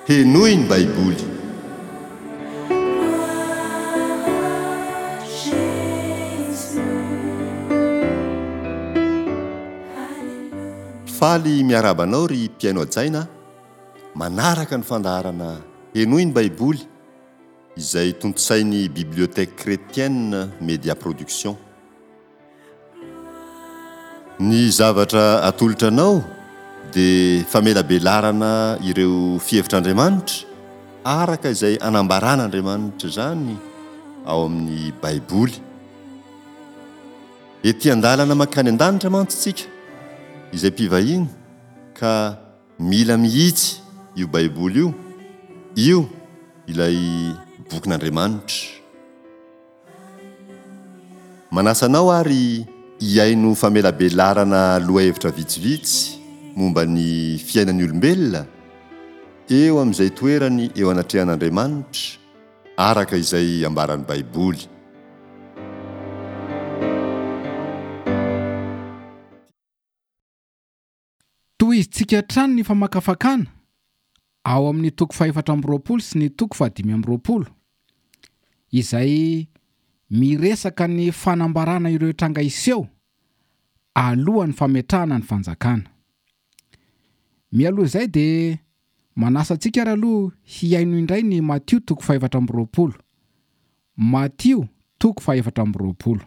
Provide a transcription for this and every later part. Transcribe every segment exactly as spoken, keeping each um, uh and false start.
Henoy ny Baiboly. Faly miarahaba anao ry mpihaino hajaina manaraka ny fandaharana Henoy ny Baiboly izay tontosain'ny Bibliothèque Chrétienne Média Production. Ny zavatra atolotra anao dia famelabelarana ireo fihevitr'Andriamanitra araka izay anambaran'Andriamanitra izany ao amin'ny Baiboly. Ety an-dalana mankany an-danitra mantsy tsika izay mpivahiny ka mila mihitsy io Baiboly io, io ilay bokin'Andriamanitra. Manasa anao ary hihaino famelabelarana lohahevitra vitsivitsy momba ny fiainan'ny olombelona eo amin'izay toerany eo anatrehan'Andriamanitra araka izay ambaran'ny Baiboly. Tohizintsika hatrany ny famakafakana ao amin'ny toko fahefatra amby roapolo sy ny toko fahadimy amby roapolo, izay miresaka ny fanambarana ireo tranga hiseho alohan'ny fametrahana ny fanjakana. Mialoha izay dia manasa antsika ary aloha hihaino indray ny Matio toko fahefatra amby roapolo. Matio toko fahefatra amby roapolo.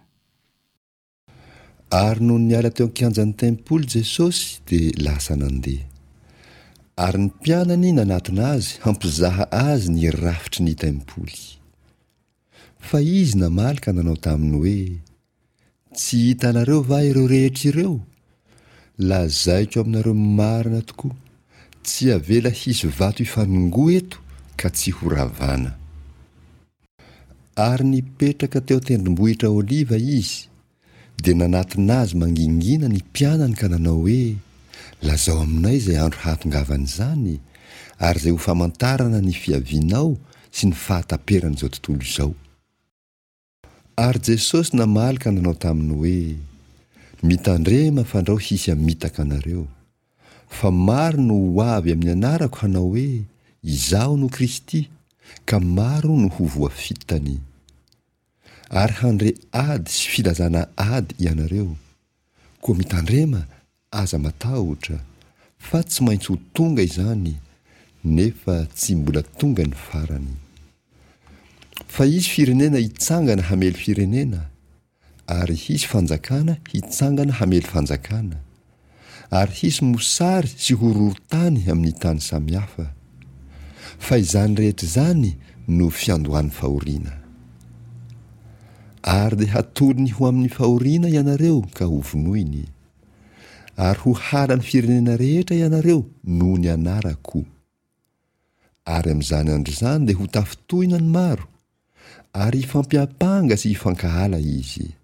Ary nony niala teo an-kianjan'ny tempoly Jesosy dia lasa nandeha. Ary ny mpianany nanatona azy hampizaha azy ny rafitry ny tempoly. Fa izy namaly ka nanao taminy hoe: Tsy hitanareo va ireo rehetra ireo? Lazaiko aminareo marina tokoa, tsy avela hisy vato hifanongoa eto ka tsy ho ravana. Ary nipetraka teo an-tendrombohitra Oliva izy, dia nanatona azy mangingina ny mpianany ka nanao hoe: Lazao aminay izay andro hahatongavan'izany, ary izay ho famantarana ny fiavianao sy ny fahataperan'izao tontolo izao. Ary Jesosy namaly ka nanao taminy hoe: Mitandrema fandrao hisy hamitaka anareo. Fa maro no ho avy amin'ny anarako hanao hoe: Izaho no Kristy, ka maro no ho voafitany. Ary handre ady sy filazana ady ianareo. Koa mitandrema, aza matahotra, fa tsy maintsy ho tonga izany, nefa tsy mbola tonga ny farany. Fa hisy firenena hitsangana hamely firenena, ary hisy fanjakana hitsangana hamely fanjakana, ary hisy mosary sy horohorontany amin'ny tany samihafa. Fa izany rehetra izany no fiandohan'ny fahoriana. Ary dia hatolony ho amin'ny fahoriana ianareo ka hovonoiny. Ary ho halan'ny firenena rehetra ianareo noho ny anarako. Ary amin'izany andro izany dia ho tafintohina ny maro, ary hifampiampanga sy hifankahala izy.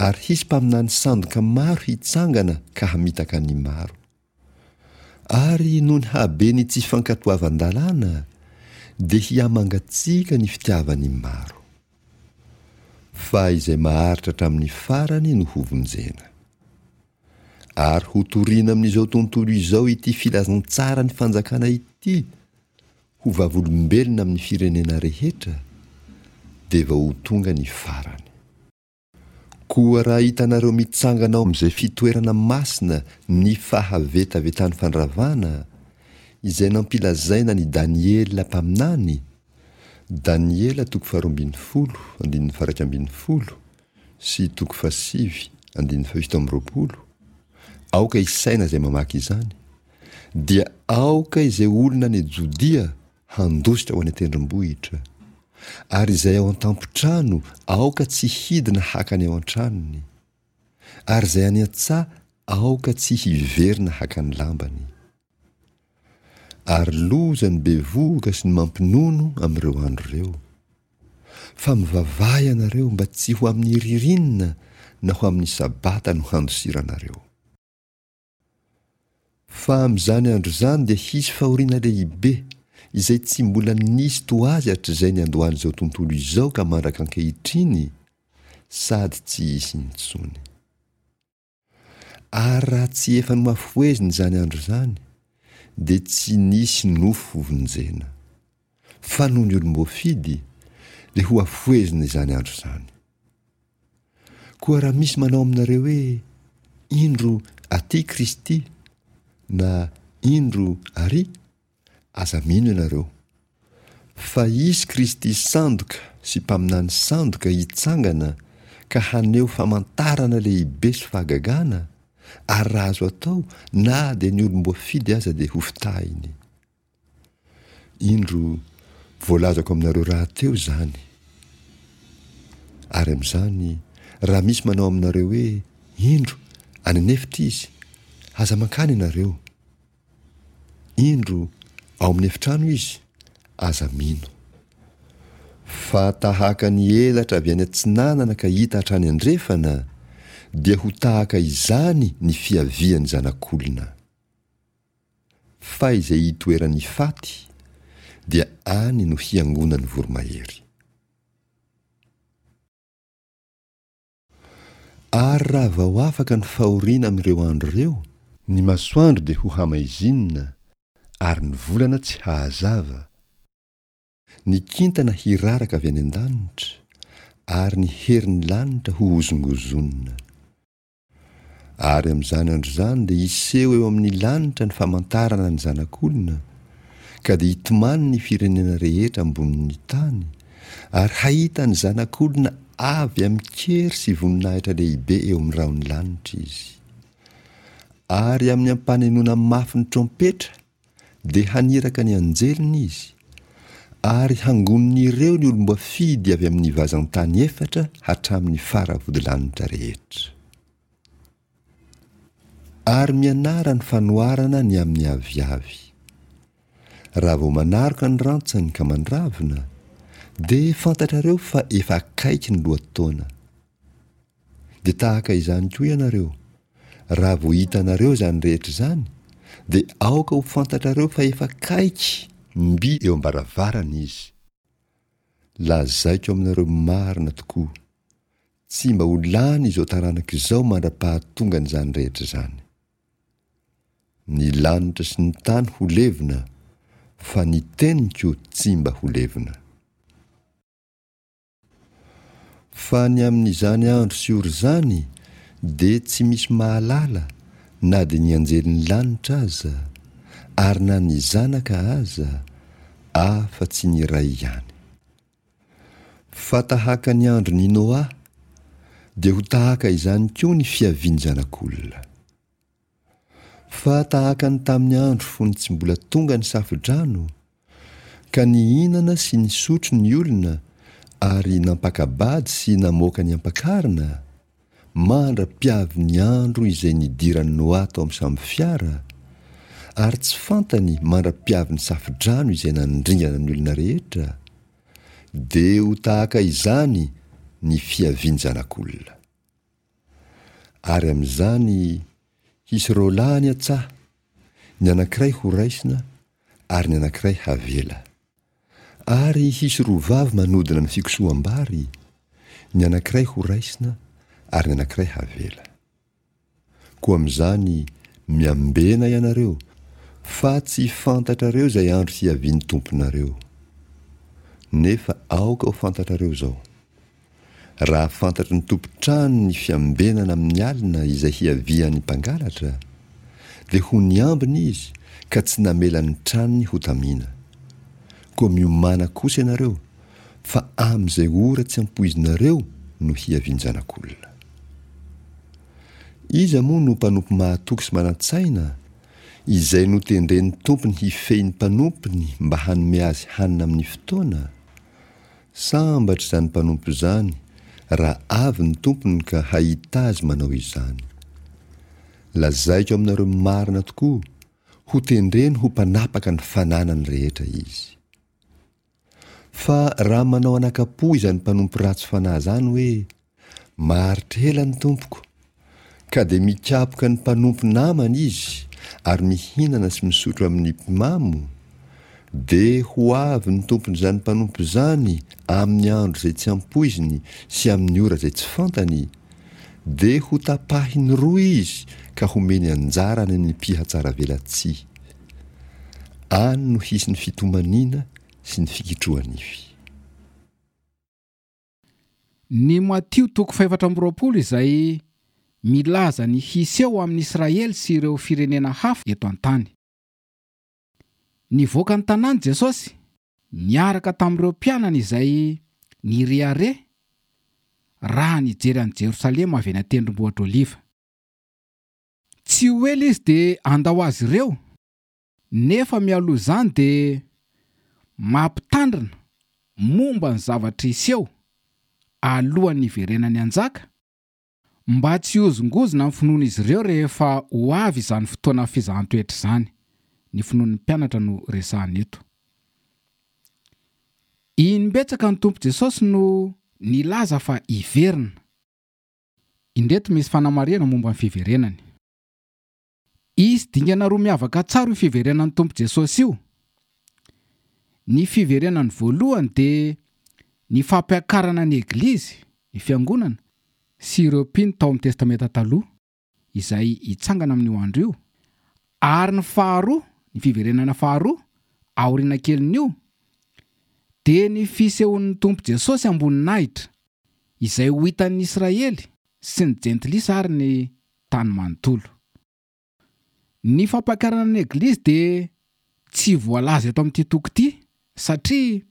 Ary hisy mpaminany sandoka maro hitsangana ka hamitaka ny maro. Ary noho ny haben'ny tsy fankatoavan-dalàna dia hihamangatsiaka ny fitiavan'ny maro. Fa izay maharitra hatramin'ny farany no hovonjena. Ary hotorina amin'izao tontolo izao ity filazantsara ny fanjakana ity, ho vavolombelona amin'ny firenena rehetra, dia vao ho tonga ny farany. Koa raha hitanareo mitsangana ao amin'izay fitoerana masina ny fahavetavetan'ny fandravana, izay nampilazaina ny Daniela mpaminany, Daniela toko faharoa ambin'ny folo andininy faha-iraika ambin'ny folo sy toko fahasivy andininy fahafito amby roapolo, aoka hisaina izay mamaky izany, dia aoka izay olona any Jodia handositra ho any an-tendrombohitra, ary izay ao an-tampon-trano aoka tsy hidina haka ny ao an-tranony, ary izay any an-tsaha aoka tsy hiverina haka ny lambany. Ary loza ny bevohoka sy ny mampinono amin'ireo andro ireo. Fa mivavaha ianareo mba tsy ho amin'ny ririnina na ho amin'ny sabata no handosiranareo. Fa amin'izany andro izany dia hisy fahoriana lehibe, izay tsy mbola nisy toa azy hatrizay niandohan'izao tontolo izao ka mandraka ankehitriny, sady tsy hisy intsony. Ary raha tsy efa nohafohezina izany andro izany, dia tsy nisy nofo hovonjena. Fa noho ny olom-boafidy, dia hohafohezina izany andro izany. Koa raha misy manao aminareo hoe, Indro aty Kristy, na Indro arỳ, aza mino ianareo. Fa hisy Kristy sandoka sy mpaminany sandoka hitsangana ka haneho famantarana lehibe sy fahagagana, ary raha azo atao, na dia ny olom-boafidy aza dia hofitahiny. Indro, voalazako aminareo rahateo izany. Ary amin'izany, raha misy manao aminareo hoe, Indro, any an'efitra izy, aza mankany ianareo. Indro, ao amin'ny efitrano izy, aza mino. Fa tahaka ny elatra avy any atsinanana ka hita hatrany andrefana, dia ho tahaka izany ny fiavian'ny Zanak'olona. Fa izay itoeran'ny faty, dia any no hiangonan'ny voromahery. Ary raha vao afaka ny fahoriana amin'ireo andro ireo, ny masoandro dia ho hamaizinina, ary ny volana tsy hahazava, ny kintana hiraraka avy any an-danitra, ary ny herin'ny lanitra hohozongozonina. Ary amin'izany andro izany dia hiseho eo amin'ny lanitra ny famantarana ny Zanak'olona, ka dia hitomany ny firenena rehetra ambonin'ny tany, ary hahita ny Zanak'olona avy amin-kery sy voninahitra lehibe eo amin'ny rahon'ny lanitra izy. Ary amin'ny ampanenoana mafy ny trompetra dia haniraka ny anjeliny izy, ary hangonin'ireo ny olom-boafidy avy amin'ny vazan-tany efatra hatramin'ny faravodilanitra rehetra. Ary mianara ny fanoharana ny amin'ny aviavy. Raha vao manaroka ny rantsany ka mandravina, dia fantatrareo fa efa akaiky ny lohataona. Dia tahaka izany koa ianareo, raha vao hitanareo izany rehetra izany, dia aoka ho fantatrareo fa efa akaiky mby eo am-baravarana izy. Lazaiko aminareo marina tokoa, tsy mba ho lany izao taranaka izao mandra-pahatongan'izany rehetra izany. Ny lanitra sy ny tany ho levona, fa ny teniko tsy mba ho levona. Fa ny amin'izany andro sy ora izany dia tsy misy mahalala na dia ny anjelin'ny lanitra aza, ary na ny Zanaka aza, afa-tsy ny Ray ihany. Fa tahaka ny andron'i Noa, dia ho tahaka izany koa ny fiavian'ny Zanak'olona. Fa tahaka ny tamin'ny andro fony tsy mbola tonga ny safodrano, ka nihinana sy nisotro ny olona ary nampaka-bady sy namoaka ny ampakarina, mandra-piavin'ny andro izay nidiran'i Noa tao amin'ny sambofiara, ary tsy fantany mandra-piavin'ny safodrano izay nandringana ny olona rehetra, dia ho tahaka izany ny fiavian'ny Zanak'olona. Ary amin'izany hisy roa lahy any an-tsaha, ny anankiray horaisina ary ny anankiray havela. Ary hisy roa vavy manodina ny fikosoham-bary, ny anankiray horaisina ary ny anankiray havela. Koa amin'izany miambena ianareo, fa tsy fantatrareo izay andro hiavian'ny Tomponareo. Nefa aoka ho fantatrareo izao, raha fantatry ny tompon-trano ny fiambenana amin'ny alina izay hiavian'ny mpangalatra, dia ho niambina izy ka tsy namela ny tranony hotamina. Koa miomàna kosa ianareo, fa amin'izay ora tsy ampoizinareo no hiavian-janak'olona. Iza moa no mpanompo mahatoky sy manan-tsaina, izay notendren'ny tompony hifehy ny mpanompony mba hanome azy hanina amin'ny fotoana? Sambatra izany mpanompo izany raha avy ny tompony ka hahita azy manao izany. Lazaiko aminareo marina tokoa, hotendreny ho mpanapaka ny fananany rehetra izy. Fa raha manao anaka-po izany mpanompo ratsy fanahy izany hoe, Maharitra ela ny tompoko, ka dia mikapoka ny mpanompo namany izy ary mihinana sy misotro amin'ny mpimamo, dia ho avy ny tompon'izany mpanompo izany amin'ny andro izay tsy ampoiziny sy amin'ny ora izay tsy fantany, dia hotapahiny roa izy ka homeny anjara any amin'ny mpihatsaravelatsihy. Any no hisy ny fitomaniana sy ny fikitroha-nify. Ny Matio toko fahefatra amby roapolo izay milaza ny hiseho amin'ny Israely sy ireo firenena hafa eto an-tany. Nivoaka ny tanàna Jesosy niaraka tamin'ireo mpianany izay nirehareha raha nijery an'i Jerosalema avy any an-tendrombohitra Oliva. Tsy ho ela izy dia handao azy ireo, nefa mialoha izany dia mampitandrina momba ny zavatra hiseho alohan'ny hiverenany hanjaka, mba tsy hihozongozona amin'ny finoan'izy ireo rehefa ho avy izany fotoana fizahan-toetra izany. Ny finoan'ny mpianatra no resahana eto. Imbetsaka ny Tompo Jesosy no nilaza fa hiverina. Indreto misy fanamarihana momba ny fiverenany. Hisy dingana roa miavaka tsara io fiverenan'ny Tompo Jesosy io. Ny fiverenany voalohany dia ny fampiakarana ny Eglizy, ny Fiangonana, sy ireo mpino tao amin'ny Testamenta Taloha, izay hitsangana amin'io andro io. Ary ny faharoa, ny fiverenana faharoa, aoriana kelin'io, dia ny fisehoan'ny Tompo Jesosy amboninahitra, izay ho hitan'ny Israely sy ny Jentilisa ary ny tany manontolo. Ny fampiakarana ny Eglizy dia tsy voalaza eto amin'ity toko ity, satria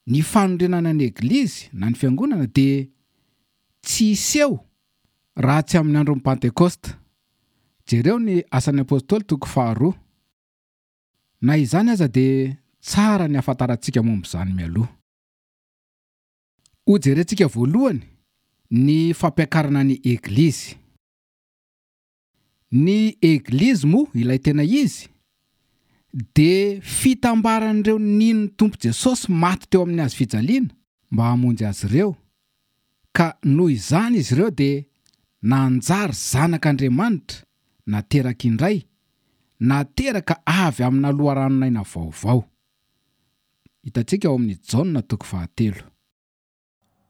ny fanorenana ny Eglizy na ny Fiangonana dia tsy hiseho raha tsy amin'ny andron'ny Pentekosta. Jereo ny Asan'ny Apôstôly toko faharoa. Na izany aza dia tsara ny hahafantarantsika momba izany mialoha. Hojerentsika voalohany ny fampiakarana ny Eglizy. Ny Eglizy moa, ilay tena izy, dia fitambaran'ireo nino ny Tompo Jesosy maty teo amin'ny hazo fijaliana mba hamonjy azy ireo, ka noho izany izy ireo dia nanjary zanak'Andriamanitra nateraka indray, nateraka avy amina loharanon'aina vaovao. Hitantsika ao amin'ny Jaona toko fahatelo.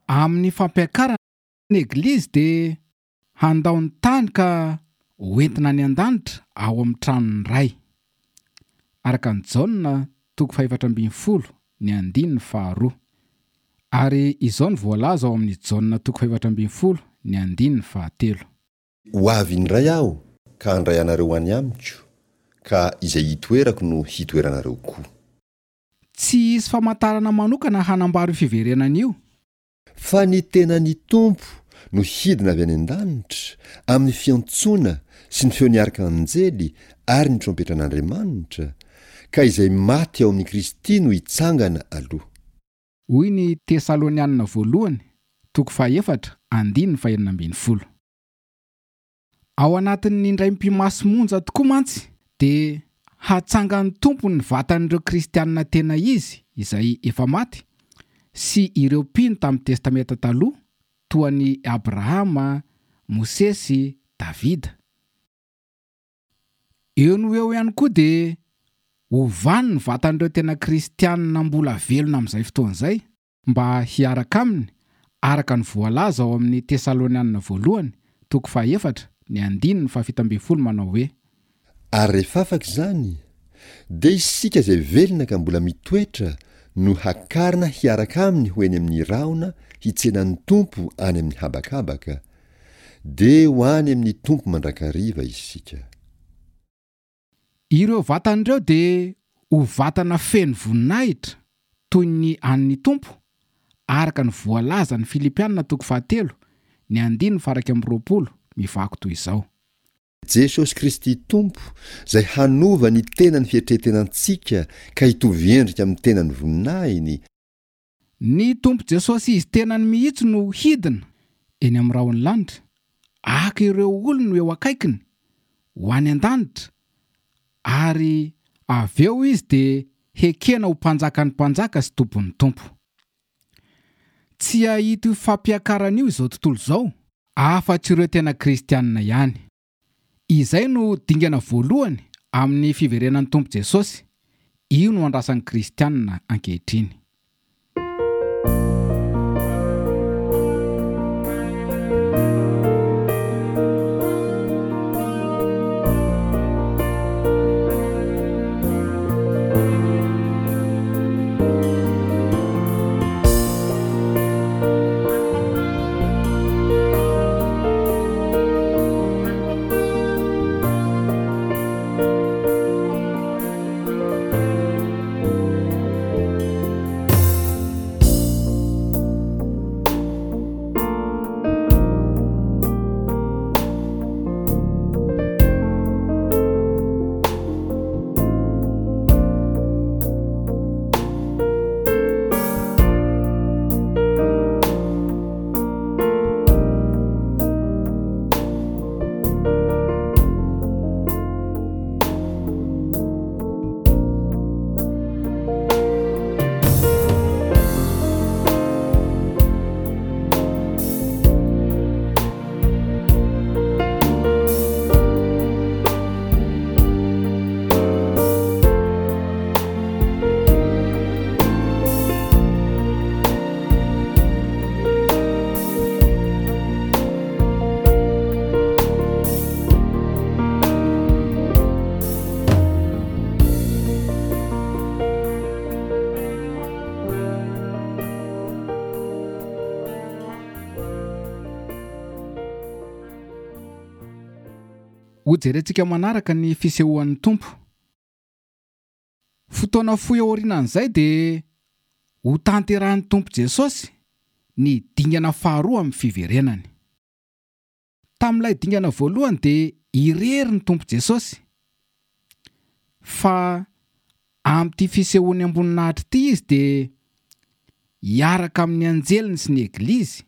Amin'ny fampiakarana ny Eglizy dia handao ny tany ka hoentina any an-danitra ao amin'ny tranon'ny Ray. Araka ny Jaona toko fahefatra ambin'ny folo ny andininy faharoa. Ary izao no voalaza ao amin'ny Jaona toko fahefatra ambin'ny folo ny andininy fahatelo. Ho avy indray aho ka handray anareo ho any amiko, ka izay hitoerako no hitoeranareo koa. Tsy hisy famantarana manokana hanambara io fiverenana io. Fa ny tenan'ny Tompo no hidina avy any an-danitra, amin'ny fiantsoana sy ny feon'ny arkanjely ary ny trompetran'Andriamanitra, ka izay maty ao amin'i Kristy no hitsangana aloha. Hoy ny Tesalonianina voalohany, toko fahefatra, andininy fahenina ambin'ny folo. Ao anatin'ny indray mipi-maso monja tokoa mantsy dia hatsangan'ny Tompo ny vatan'ireo kristianina tena izy izay efa maty sy ireo mpino tamin'ny Testamenta Taloha toa an'i Abrahama, Mosesy, Davida. Eo no eo ihany koa dia hovany ny vatan'ireo tena kristianina mbola velona amin'izay fotoana izay mba hiaraka aminy araka ny voalaza ao amin'ny Tesalonianina voalohany, toko fahefatra, ny andininy fahafito ambin'ny folo manao hoe: Ary rehefa afaka izany, dia isika izay velona ka mbola mitoetra no hakarina hiaraka aminy ho eny amin'ny rahona hitsenan'ny Tompo any amin'ny habakabaka, dia ho any amin'ny Tompo mandrakariva isika. Ireo vatan'ireo dia ho vatana feno voninahitra toy ny an'ny Tompo, araka ny voalazan'ny Filipianina toko fahatelo, ny andininy faha-iraika amby roapolo, mivaky toy izao. Jesosy Kristy Tompo, izay hanova ny tenan'ny fietretenantsika ka hitovy endrika amin'ny tenan'ny voninahiny. Ny Tompo Jesosy izy tenany mihitsy no hidina eny amin'ny rahon'ny lanitra, haka ireo olony ho eo akaikiny, ho any an-danitra, ary avy eo izy dia hekena ho mpanjakan'ny mpanjaka sy tompon'ny Tompo. Tsy hahita io fampiakarana io izao tontolo izao, afa-tsy ireo tena kristianina ihany. Izay no dingana voalohany amin'ny fiverenan'ny Tompo Jesosy. Io no andrasan'ny kristianina ankehitriny. Hojerentsika manaraka ny fisehoan'ny Tompo. Fotoana fohy aorianan'izay dia ho tanterahin'ny Tompo Jesosy ny dingana faharoa amin'ny fiverenany. Tamin'ilay dingana voalohany dia irery ny Tompo Jesosy. Fa amin'ity fisehoany amboninahitra ity izy dia hiaraka amin'ny anjeliny sy ny eglizy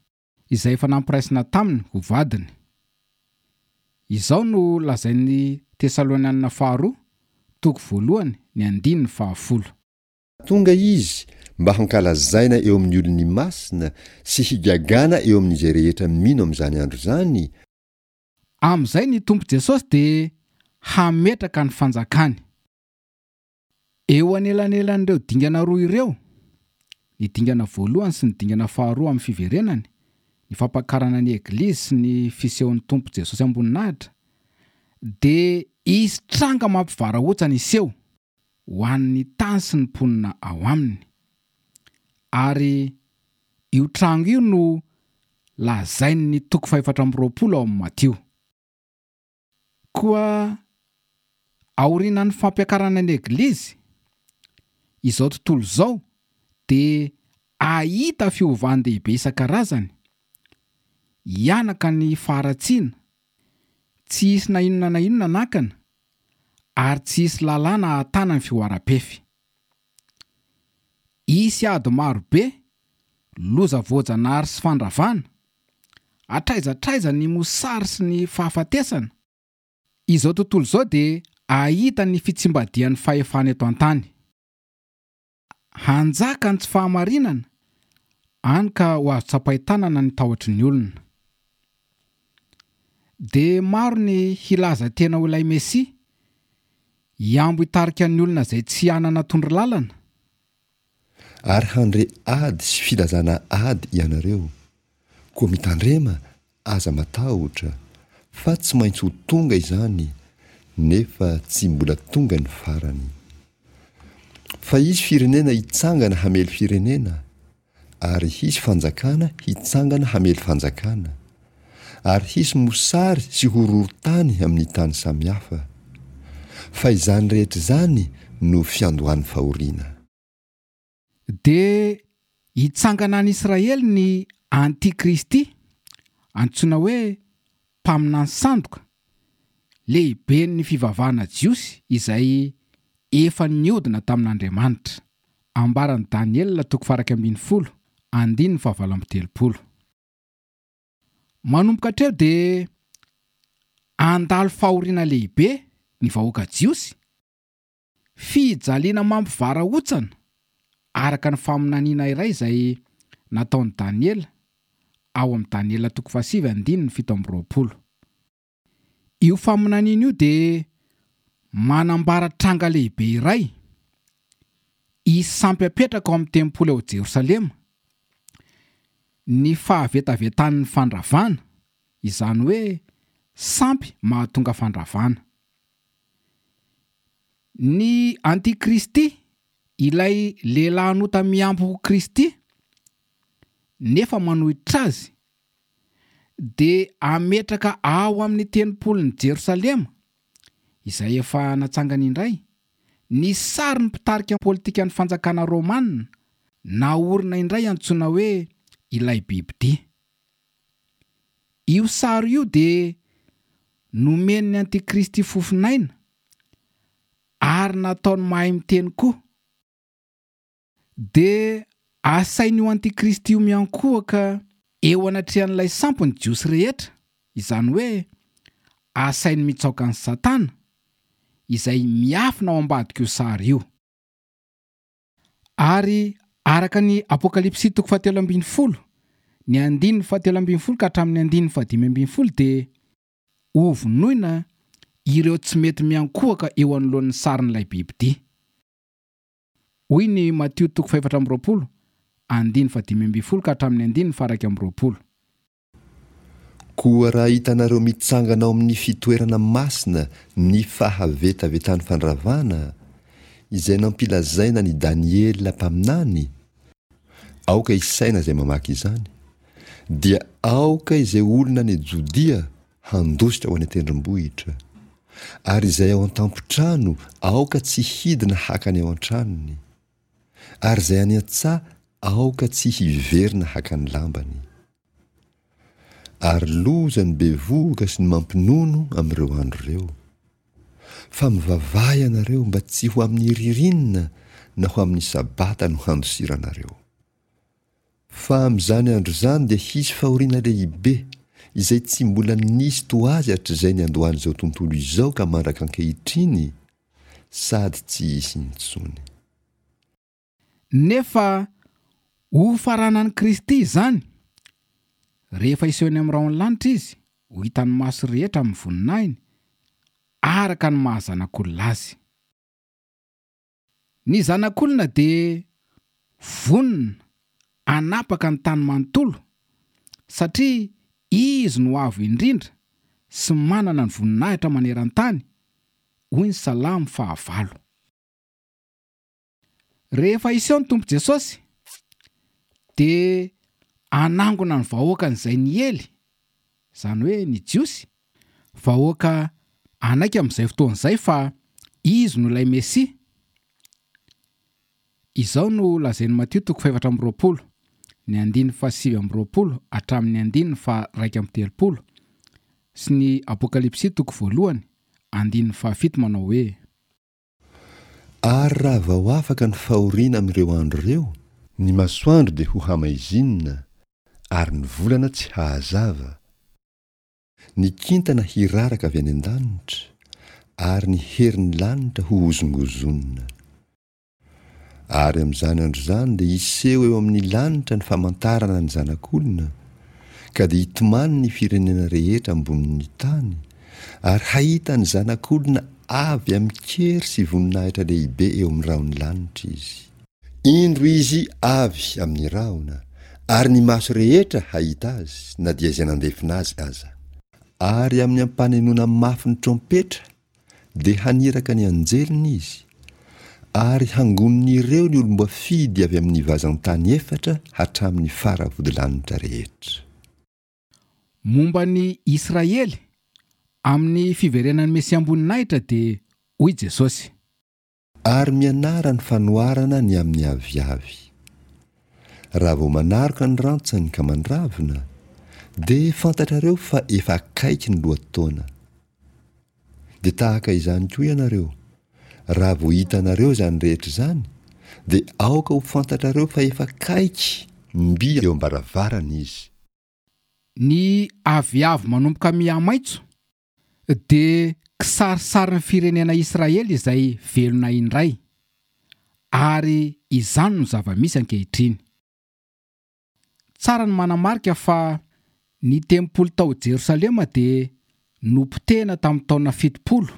izay efa nampiraisina taminy ho vadiny. Izao no lazain'ny Tesalonianina faharoa, toko voalohany, ny andininy fahafolo. Tonga izy mba hankalazaina eo amin'ny olony masina sy higagana eo amin'izay rehetra mino amin'izany andro izany. Amin'izay ny Tompo Jesosy dia hametraka ny fanjakany. Eo anelanelan'ireo dingana roa ireo, ny dingana voalohany sy ny dingana faharoa amin'ny fiverenany, ny fampakarana ny eglizy sy ny fisehon'ny Tompo Jesosy amboninahitra, dia hisy tranga mampivarahontsana hiseho ho an'ny tany sy ny mponina ao aminy. Ary io tranga io no lazain'ny toko fahefatra amby roapolo ao amin'ny Matio. Koa aorianan'ny fampiakarana ny eglizy, izao tontolo izao dia ahita fiovan-dehibe isan-karazany, hianaka ny faharatsiana, tsy hisy na inona na inona nakana, ary tsy hisy lalàna ahatana ny fihoaram-pefy. Hisy ady marobe, loza voajanahary sy fandravana, hatraiza hatraiza ny mosary sy ny fahafatesana. Izao tontolo izao dia ahita ny fitsimbadihan'ny fahefana eto an-tany. Hanjaka ny tsy fahamarinana, hany ka ho azo tsapain-tanana ny tahotry ny olona. Dia maro ny hilaza tena ho ilay Mesia, hiambo hitarika ny olona izay tsy hanana tondro lalana. Ary handre ady sy filazana ady ianareo. Koa mitandrema, aza matahotra, fa tsy maintsy ho tonga izany, nefa tsy mbola tonga ny farany. Fa hisy firenena hitsangana hamely firenena, ary hisy fanjakana hitsangana hamely fanjakana, ary hisy mosary sy horohorontany amin'ny tany samihafa. Fa izany rehetra izany no fiandohan'ny fahoriana. Dia hitsangana any Israely ny Antikristy, antsoina hoe mpaminany sandoka, lehiben'ny fivavahana jiosy izay efa niodina tamin'Andriamanitra. Ambaran'i Daniela toko faha-iraika ambin'ny folo, andininy fahavalo amby telopolo. Manomboka hatreo dia handalo fahoriana lehibe ny vahoaka jiosy, fijaliana mampivarahontsana araka ny faminaniana iray izay nataon'i Daniela ao amin'ny Daniela toko fahasivy andininy fito amby roapolo. Io faminaniana io dia manambara tranga lehibe iray hisy sampy apetraka ao amin'ny tempoly ao Jerosalema, ny fahavetavetan'ny fandravana, izany hoe sampy mahatonga fandravana. Ny Antikristy, ilay lehilahy nota mihambo ho Kristy nefa manohitra azy, dia ametraka ao amin'ny tempolin'i Jerosalema, izay efa natsangany indray, ny sarin'ny mpitarika politikan'ny fanjakana romana naorina indray antsoina hoe ilay bibidia. Io sary io dia nomen'ny Antikristy fofonaina ary nataony mahay miteny koa. Dia asain'io Antikristy io miankohoka eo anatrehan'ilay sampy ny Jiosy rehetra, izany hoe asainy mitsaoka an'i Satana izay miafina ao ambadik'io sary io. Ary araka ny Apokalypsy toko fahatelo ambin'ny folo, ny andininy fahatelo ambin'ny folo ka hatramin'ny andininy fahadimy ambin'ny folo dia hovonoina ireo tsy mety miankohoka eo anoloan'ny sarin'ilay bibidia. Hoy ny Matio toko fahefatra amby roapolo, andininy fahadimy ambin'ny folo ka hatramin'ny andininy faha-iraika amby roapolo. Koa raha hitanareo mitsangana ao amin'ny fitoerana masina ny fahavetavetan'ny fandravana, izay nampilazaina ny Daniela mpaminany, aoka isaina izay mamaky izany, dia aoka izay olona any Jodia handositra ho any an-tendrombohitra. Ary izay ao an-tampon-trano aoka tsy hidina haka ny ao an-tranony. Ary izay any an-tsaha aoka tsy hiverina haka ny lambany. Ary loza ny bevohoka sy ny mampinono amin'ireo andro ireo. Fa mivavaha ianareo mba tsy ho amin'ny ririnina na ho amin'ny sabata no handosiranareo. Fa amin'izany andro izany dia hisy fahoriana lehibe, izay tsy mbola nisy toa azy hatrizay niandohan'izao tontolo izao ka mandraka ankehitriny, sady tsy hisy intsony. Nefa hofaranan'i Kristy izany, rehefa hiseho eny amin'ny rahon'ny lanitra Izy, ho hitan'ny maso rehetra amin'ny voninahiny, araka ny maha Zanak'olona Azy. Ny Zanak'olona dia vonona hanapaka ny tany manontolo, satria Izy no Avo Indrindra sy manana ny voninahitra maneran-tany, hoy ny Salamo fahavalo. Rehefa hiseho ny Tompo Jesosy, dia hanangona ny vahoakany izay niely, izany hoe ny Jiosy, vahoaka hanaiky amin'izay fotoana izay fa Izy no ilay Mesia. Izao no lazain'i Matio toko fahefatra amby roapolo, ny andininy fahasivy amby roapolo hatramin'ny andininy faharaika amby telopolo, sy ny Apokalypsy toko voalohany, andininy fahafito manao hoe. Ary raha vao afaka ny fahoriana amin'ireo andro ireo, ny masoandro dia ho hamaizinina, ary ny volana tsy hahazava, ny kintana hiraraka avy any an-danitra, ary ny herin'ny lanitra ho hozongozonina. Ary amin'izany andro izany dia hiseho eo amin'ny lanitra ny famantarana ny Zanak'olona, ka dia hitomany ny firenena rehetra ambonin'ny tany, ary hahita ny Zanak'olona avy amin-kery sy voninahitra lehibe eo amin'ny rahon'ny lanitra izy. Indro izy avy amin'ny rahona, ary ny maso rehetra hahita azy, na dia izay nandefona azy aza. Ary amin'ny ampanenoana mafy ny trompetra, dia haniraka ny anjeliny izy, ary hangonin'ireo ny olom-boafidy avy amin'ny vazan-tany efatra hatramin'ny faravodilanitra rehetra. Momba ny Israely, amin'ny fiverenan'ny Mesiam-boninahitra dia hoy Jesosy. Ary mianara ny fanoharana ny amin'ny aviavy. Raha vao manaroka ny rantsany ka mandravina, dia fantatrareo fa efa akaiky ny lohataona. Dia tahaka izany koa ianareo, raha vao hitanareo izany rehetra izany, dia aoka ho fantatrareo fa efa akaiky mby eo am-baravarana izy. Ny aviavy manomboka mihamaitso dia kisarisarin'ny firenena Israely izay velona indray, ary izany no zava-misy ankehitriny. Tsara ny manamarika fa ny tempoly tao Jerosalema dia nopotehina tamin'ny taona fitopolo,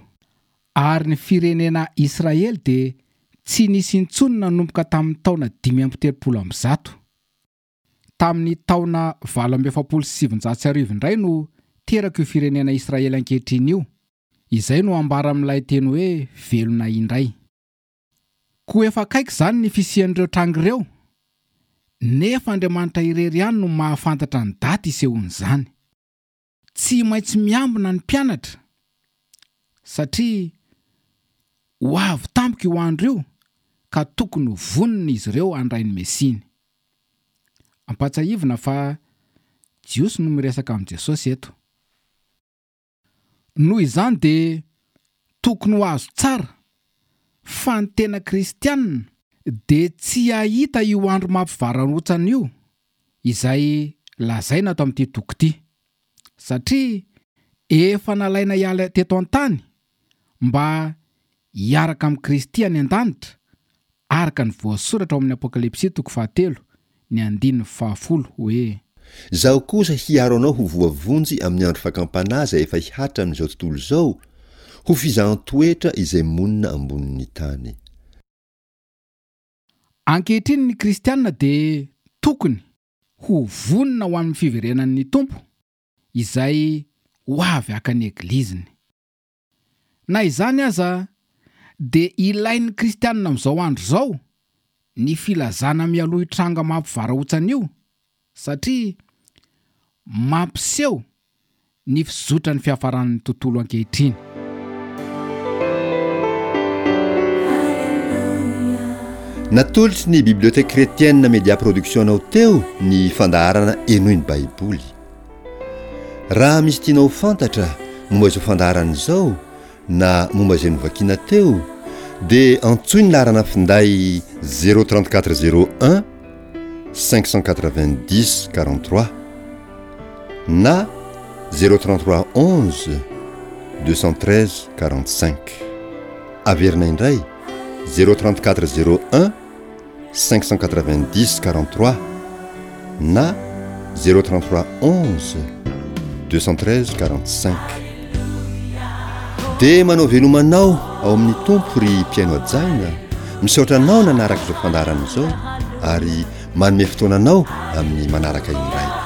ary ny firenena Israely dia tsy nisy intsony nanomboka tamin'ny taona dimy amby telopolo amby zato. Tamin'ny taona valo amby efapolo sy sivinjato sy arivo indray no teraka io firenena Israely ankehitriny io, izay no ambara amin'ilay teny hoe velona indray. Koa efa akaiky izany ny fisian'ireo tranga ireo, nefa Andriamanitra irery ihany no mahafantatra ny daty isehoan'izany. Tsy maintsy miambina ny mpianatra, satria ho avy tampoka io andro io ka tokony ho vonona izy ireo handray ny Mesiany. Ampahatsiahivina fa Jiosy no miresaka amin'i Jesosy eto. Noho izany dia tokony ho azo tsara fa ny tena kristianina dia tsy hahita io andro mampivarahontsana io izay lazaina ato amin'ity toko ity, satria efa nalaina hiala teto an-tany mba hiaraka amin'i Kristy any an-danitra, araka ny voasoratra ao amin'ny Apokalypsy toko fahatelo, ny andininy fahafolo hoe. Izaho kosa hiaro anao ho voavonjy amin'ny andro fakam-panahy izay efa hihatra amin'izao tontolo izao, ho fizahan-toetra izay monina ambonin'ny tany. Ankehitriny ny kristiana dia tokony ho vonona ho amin'ny fiverenan'ny Tompo izay ho avy haka ny Egliziny. Na izany aza dia ilain'ny kristiana amin'izao andro izao ny filazana mialoha io tranga mampivarahontsana io, satria mampiseho ny fizotran'ny fiafaran'ny tontolo ankehitriny. Natolotry ny Bibliothèque Chrétienne Media Production anao teo ny fandaharana Henoy ny Baiboly. Raha misy tianao ho fantatra momba izao fandaharana izao na momba izay novakiana teo dia antsoy ny laharana finday zéro trente quatre zéro un cinq cent quatre-vingt-dix quarante-trois na zéro trente-trois onze deux cent treize quarante-cinq. Averina indray zéro trente-quatre zéro un cinq cent quatre-vingt-dix quarante-trois na zéro trente-trois onze deux cent treize quarante-cinq. Dia manao veloma anao ao amin'ny Tompo ry mpihaino hajaina, misaotra anao nanaraka izao fandaharana izao ary manome fotoana anao amin'ny manaraka indray.